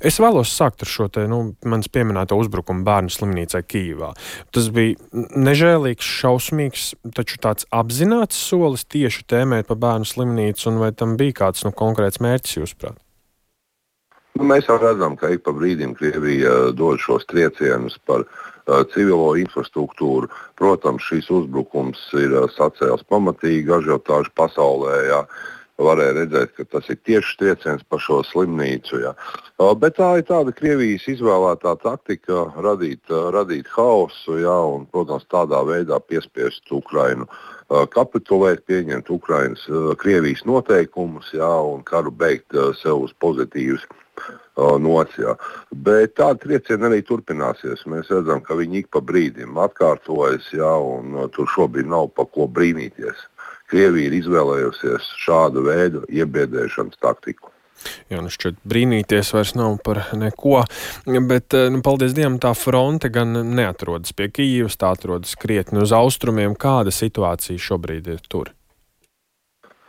Es vēlos sākt ar šo te, manis pieminēto uzbrukumu bērnu slimnīcai Kijivā. Tas bija nežēlīgs, šausmīgs, taču tāds apzināts solis tieši tēmēt par bērnu slimnīcu, un vai tam bija kāds konkrēts mērķis, jūsuprāt? Mēs jau redzam, ka ik pa brīdim Krievija dod šos triecienus par civilo infrastruktūru. Protams, šīs uzbrukums ir sacēlis pamatīgi ažiotāžu pasaulē. Jā. Varēja redzēt, ka tas ir tieši trieciens par šo slimnīcu. Jā. Bet tā ir tāda Krievijas izvēlētā taktika radīt haosu, jā, un, protams, tādā veidā piespiest Ukrainu kapitulēt, pieņemt Krievijas noteikumus, jā, un karu beigt sev uz pozitīvas nots. Jā. Bet tāda trieciena arī turpināsies. Mēs redzam, ka viņi ik pa brīdim atkārtojas, jā, un tur šobrīd nav pa ko brīnīties. Krievija ir izvēlējusies šādu veidu iebiedēšanas taktiku. Jā, šķiet brīnīties vairs nav par neko, bet, paldies Dievam, tā fronte gan neatrodas pie Kijivas, tā atrodas krietni uz austrumiem. Kāda situācija šobrīd ir tur?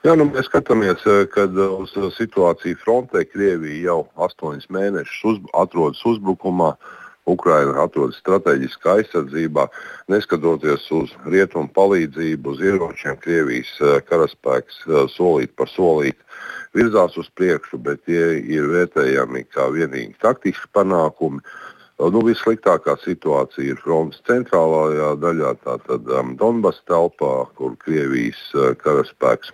Jā, mēs skatāmies, kad uz situāciju frontē Krievija jau 8 mēnešus atrodas uzbrukumā. Ukraina atrodas strateģiskā aizsardzībā, neskatoties uz rietumu palīdzību, uz ieročiem. Krievijas karaspēks solīt par solīt virzās uz priekšu, bet tie ir vērtējami kā vienīgi taktiski panākumi. Vissliktākā situācija ir frontes centrālajā daļā, tātad Donbas telpā, kur Krievijas karaspēks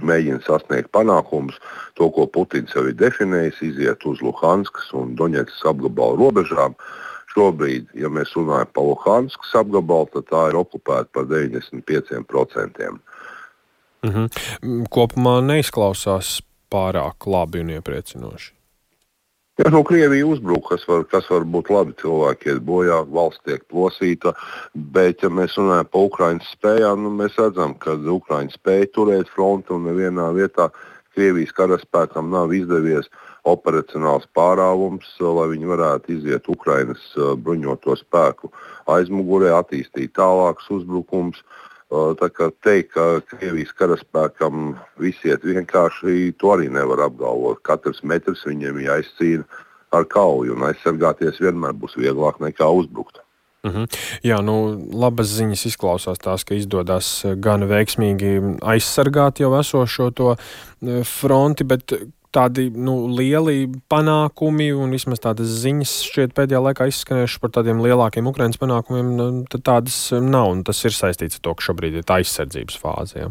mēģina sasniegt panākumus. To, ko Putins jau ir definējis, iziet uz Luhanskas un Doņetskas apgabalu robežām. Šobrīd, ja mēs runājam par Luhanskas apgabalu, tad tā ir okupēta par 95%. Kopumā neizklausās pārāk labi un iepriecinoši. Ja Krievija uzbruk, kas var būt labi, cilvēki iet bojā, valsts tiek plosīta, bet, ja mēs runājam par Ukrainas spējām, mēs redzam, ka Ukraina spēja turēt fronti un nevienā vietā Krievijas karaspēkam nav izdevies operacionāls pārāvums, lai viņi varētu iziet Ukrainas bruņoto spēku aizmugurē, attīstīt tālākus uzbrukums. Tā kā teikt, ka Krievijas karaspēkam viss iet vienkārši, to arī nevar apgalvot. Katrs metrs viņiem jāizcīna ar kauju, un aizsargāties vienmēr būs vieglāk nekā uzbrukt. Jā, labas ziņas izklausās tās, ka izdodas gan veiksmīgi aizsargāt jau esošo to fronti, bet tādi lieli panākumi un vismaz tādas ziņas šķiet pēdējā laikā izskanējušas par tādiem lielākiem Ukrainas panākumiem, tad tādas nav, un tas ir saistīts ar to, ka šobrīd ir tā aizsardzības fāze. Ja?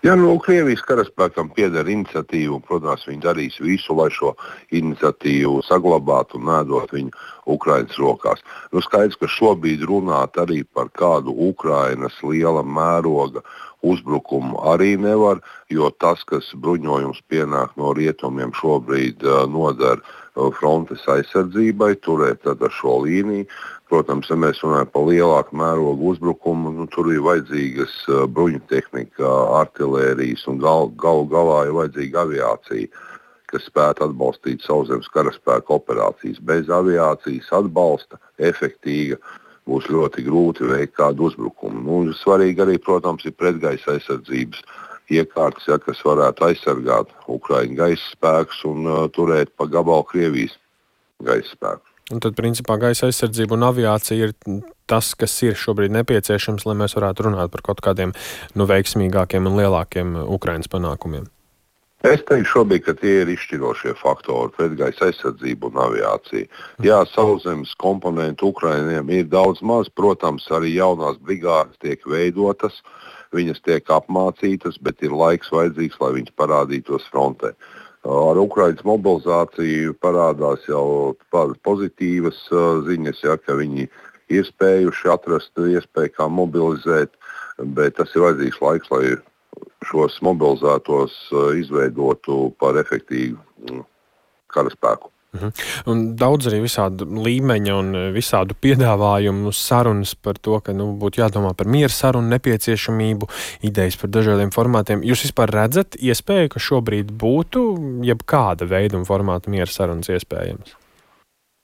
Ja Krievijas karaspēkam pieder iniciatīva, un, protams, viņi darīs visu, lai šo iniciatīvu saglabātu un nedot viņu Ukrainas rokās. Skaidrs, ka šobrīd runāt arī par kādu Ukrainas liela mēroga uzbrukumu arī nevar, jo tas, kas bruņojums pienāk no rietumiem, šobrīd noder frontes aizsardzībai, turēt ar šo līniju. Protams, ja mēs runājam par lielāku mērogu uzbrukumu, tur ir vajadzīgas bruņu tehnika, artilērijas un galu galā ir vajadzīga aviācija, kas spētu atbalstīt sauszemes karaspēka operācijas. Bez aviācijas atbalsta efektīga būs ļoti grūti veikt kādu uzbrukumu. Svarīgi arī, protams, ir pretgaisa aizsardzības iekārtas, kas varētu aizsargāt Ukraiņu gaisa spēkus un turēt pa gabalu Krievijas gaisa spēkus. Un tad, principā, gaisa aizsardzība un aviācija ir tas, kas ir šobrīd nepieciešams, lai mēs varētu runāt par kaut kādiem veiksmīgākiem un lielākiem Ukrainas panākumiem. Es teiktu šobrīd, ka tie ir izšķirošie faktori - pretgaisa aizsardzība un aviācija. Jā, sauszemes komponentu Ukrainiem ir daudz maz, protams, arī jaunās brigādes tiek veidotas, viņas tiek apmācītas, bet ir laiks vajadzīgs, lai viņas parādītos frontē. Ar Ukrainas mobilizāciju parādās jau pozitīvas ziņas, ka viņi ir spējuši atrast iespēju, kā mobilizēt, bet tas ir vajadzīgs laiks, lai šos mobilizētos izveidotu par efektīvu karaspēku. Un daudz arī visādu līmeņa un visādu piedāvājumu sarunas par to, ka būtu jādomā par miera sarunu nepieciešamību, idejas par dažādiem formātiem. Jūs vispār redzat iespēju, ka šobrīd būtu jebkāda veida un formāta miera sarunas iespējams?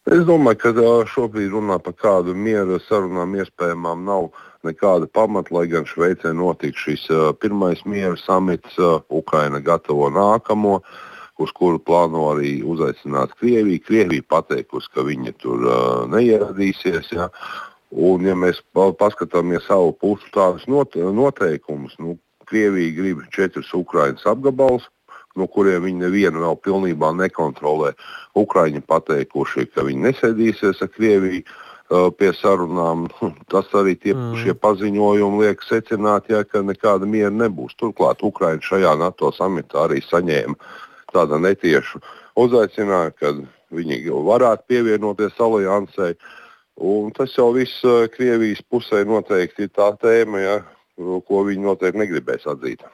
Es domāju, ka šobrīd runā par kādu miera sarunām iespējamām nav nekāda pamata, lai gan Šveicē notika šis pirmais miera samits, Ukraina gatavo nākamo. uz kuru plāno arī uzaicināt Krieviju. Krievija pateikusi, ka viņi tur neieradīsies. Ja? Un, ja mēs paskatāmies savu pušu tādus noteikumus, Krievija grib 4 Ukrainas apgabalus, no kuriem viņi nevienu vēl pilnībā nekontrolē. Ukraiņi pateikuši, ka viņi nesēdīsies ar Krieviju pie sarunām. Tas arī šie paziņojumi liek secināt, ka nekāda miera nebūs. Turklāt Ukraiņi šajā NATO samitā arī saņēma tādu netiešu uzaicinājumu, kad viņi varētu pievienoties aliansei. Un tas jau viss Krievijas pusē noteikti ir tā tēma, ko viņi noteikti negribēs atzīt.